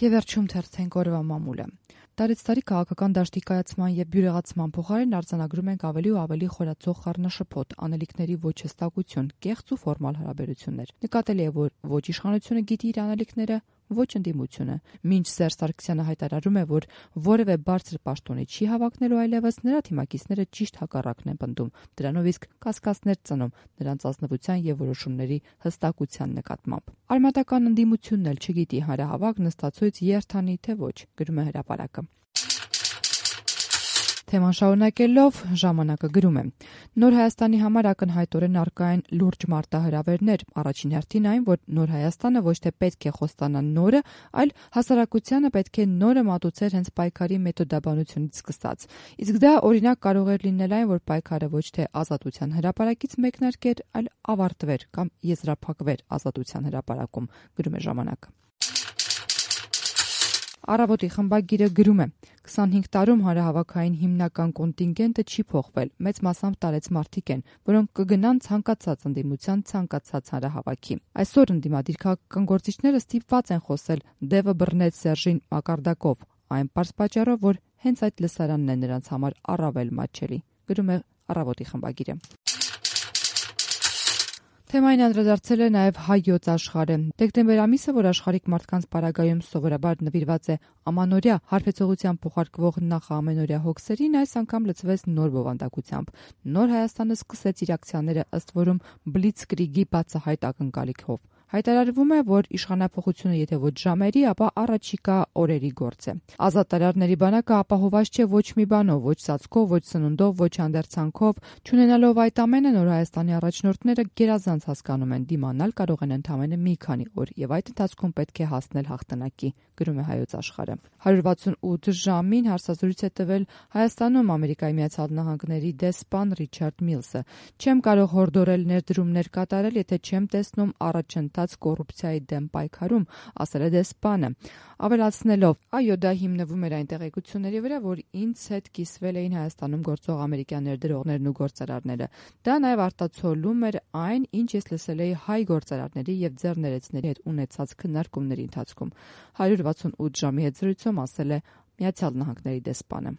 Եվ վերջում թերթենք օրվա մամուլը։ Տարեց տարի քաղաքական դաշտի կայացման եւ բյուրեղացման փոխարեն արձանագրում ենք ավելի ու ավելի խորացող խառնաշփոթ, անելիքների ոչ հստակություն, կեղծ ու ֆորմալ հարաբերություններ։ Նկատելի է, որ ոչ իշխանությունը գիտի իր անելիքները, ոչ ընդդիմությունը։ Մինչ Սերժ Սարգսյանը հայտարարում է, որ որևէ բարձր պաշտոնի չի հավակնելու այլևս, նրա թիմակիցները ճիշտ հակառակն են պնդում, դրանով իսկ կասկածներ ծնում նրանց ազնվության եւ որոշումների հստակության նկատմամբ։ Արմատական ընդդիմությունն էլ չգիտի հանրահավաք նստածույց երթանի թե ոչ, գրում է Հրապարակը։ Թեման շարունակելով ժամանակը գրում է. Նոր Հայաստանի համար ակնհայտորեն առկա են լուրջ մարտահրավերներ, առաջին հերթին այն, որ Նոր Հայաստանը ոչ թե պետք է խոստանա նորը, այլ հասարակությանը պետք է նորը մատուցեր հենց պայքարի մեթոդաբանությունից սկսած։ Իսկ դա օրինակ կարող էր լինել այն, որ պայքարը ոչ թե ազատության հրապարակից մեկնարկեր, այլ ավարտվեր կամ եզրափակվեր ազատության հրապարակում, գրում է Ժամանակը։ Առավոտի խմբագիրը գրում է. 25 տարում հանրահավաքային հիմնական կոնտինգենտը չի փոխվել, մեծ մասամբ տարեց մարդիկ են, որոնք կգնան ցանկացած ընդդիմության ցանկացած հանրահավաքի։ Այսօր ընդդիմադիր քաղաքական գործիչները ստիպված են խոսել «Դևը բռնեց Սերժին» մակարդակով, այն պարզ պատճառով, որ հենց այդ լսարանն է նրանց համար առավել մատչելի, գրում է Առավոտի խմբագիրը։ Թեմային անդրադարձել է նաև Հայոց Աշխարհը։ Դեկտեմբեր ամիսը, որ աշխարհիկ մարդկանց պարագայում սովորաբար նվիրված է ամանորյա հարբեցողության փոխարկվող նախաամենօրյա հոգսերին, այս անգամ լցվեց նոր բովանդակությամբ։ Նոր Հայաստանը սկսեց իր ակցիաները ըստ որում բլիցկրիգի բացահայտ ակնկալիքով։ Հայտարարվում է, որ իշխանափոխությունը եթե ոչ ժամերի, ապա առաջիկա օրերի գործ է։ Ազատ տարարների բանակը ապահովված չէ ոչ մի բանով, ոչ ծածկով, ոչ սնունդով, ոչ հանդերձանքով, չունենալով այդ ամենը, Նոր Հայաստանի առաջնորդները գերազանց հասկանում են, դիմանալ կարող են ընդամենը մի քանի օր, եւ այդ ընթացքում պետք է հասնել հաղթանակի, գրում է Հայոց Աշխարհը։ 168 ժամին հարցազրույց է տվել Հայաստանում Ամերիկայի Միացյալ Նահանգների դեսպան Ռիչարդ Միլսը։ Չեմ կարող հորդորել ներդրումներ կատարել, եթե չեմ տեսնում առաջընթաց կոռուպցիայի դեմ պայքարում, ասել է դեսպանը, ավելացնելով. այո, դա հիմնվում էր այն տեղեկությունների վրա, որ ինձ հետ կիսվել էին Հայաստանում գործող ամերիկյան ներդրողներն ու գործարարները։ Դա նաև արտացոլում էր այն, ինչ ես լսել էի հայ գործարարների եւ ձեռներեցների հետ ունեցած քննարկումների ընթացքում, 168 ժամի հետ զրույցում ասել է Միացյալ Նահանգների դեսպանը։